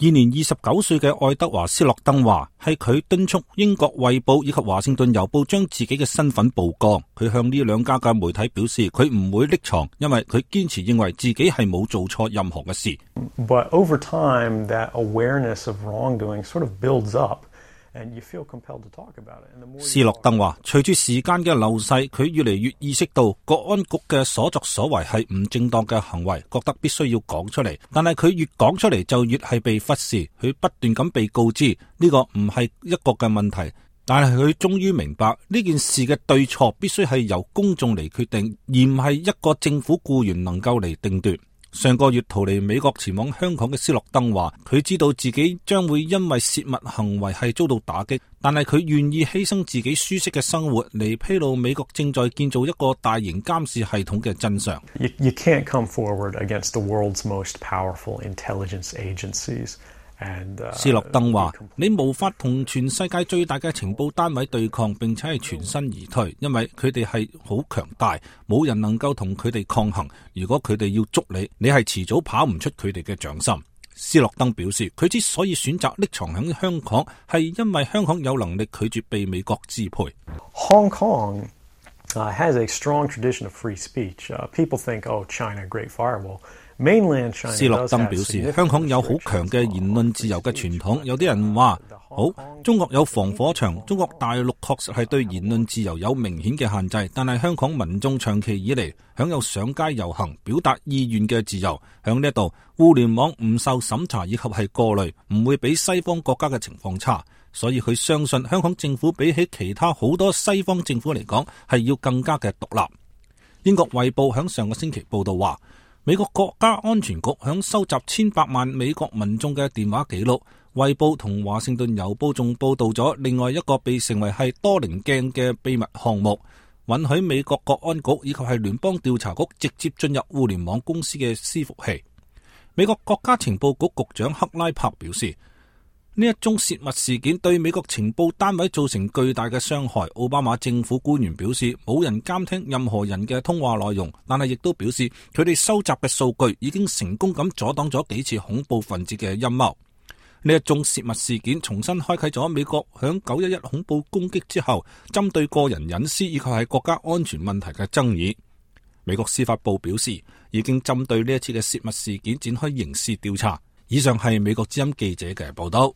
現年29歲嘅愛德華斯諾登話，係佢敦促英國衛報以及華盛頓郵報將自己嘅身份曝光。佢向呢兩家嘅媒體表示，佢唔會匿藏，因為佢堅持認為自己係冇做錯任何嘅事。But over time, that awareness of wrongdoing sort of builds up. 斯諾登話，隨住時間嘅流逝，佢越嚟越意識到國安局嘅所作所為係唔正當嘅行為，覺得必須要講出嚟。但係佢越講出嚟就越係被忽視，佢不斷咁被告知呢個唔係一個嘅問題。但係佢終於明白呢件事嘅對錯必須係由公眾嚟決定，而唔係一個政府僱員能夠嚟定奪。上個月逃離美國前往香港嘅斯諾登話，佢知道自己將會因為泄密行為係遭到打擊，但係佢願意犧牲自己舒適嘅生活嚟披露美國正在建造一個大型監視系統嘅真相。You can't come forward against the world's most powerful intelligence agencies. 斯諾登話，你無法同全世界最大嘅情報單位對抗，並且係全身而退，因為佢哋係好強大，冇人能夠同佢哋抗衡。如果佢哋要捉你，你係遲早跑唔出佢哋嘅掌心。斯諾登表示，佢之所以選擇匿藏喺香港，係因為香港有能力拒絕被美國支配。Hong Kong has a strong tradition of free speech. People think, oh, China, great firewall.斯諾登表示，香港有好強嘅言論自由嘅傳統。有啲人話，好，中國有防火牆，中國大陸確實係對言論自由有明顯嘅限制，但係香港民眾長期以嚟享有上街遊行、表達意願嘅自由。響呢度，互聯網唔受審查以及係過濾，唔會比西方國家嘅情況差。所以佢相信香港政府比起其他好多西方政府嚟講，係要更加嘅獨立。英國衛報響上個星期報道話，美國國家安全局響收集千百萬美國民眾嘅電話記錄。衛報同華盛頓郵報仲報道咗另外一個被稱為係多棱鏡嘅秘密項目，允許美國國安局以及係聯邦調查局直接進入互聯網公司嘅伺服器。美國國家情報局局長克拉柏表示，呢一宗泄密事件對美國情報單位造成巨大嘅傷害。奧巴馬政府官員表示，冇人監聽任何人嘅通話內容，但係亦都表示佢哋收集嘅數據已經成功咁阻擋咗幾次恐怖分子嘅陰謀。呢一宗泄密事件重新開啟咗美國響911恐怖攻擊之後，針對個人隱私以及係國家安全問題嘅爭議。美國司法部表示，已經針對呢一次嘅泄密事件展開刑事調查。以上係美國之音記者嘅報道。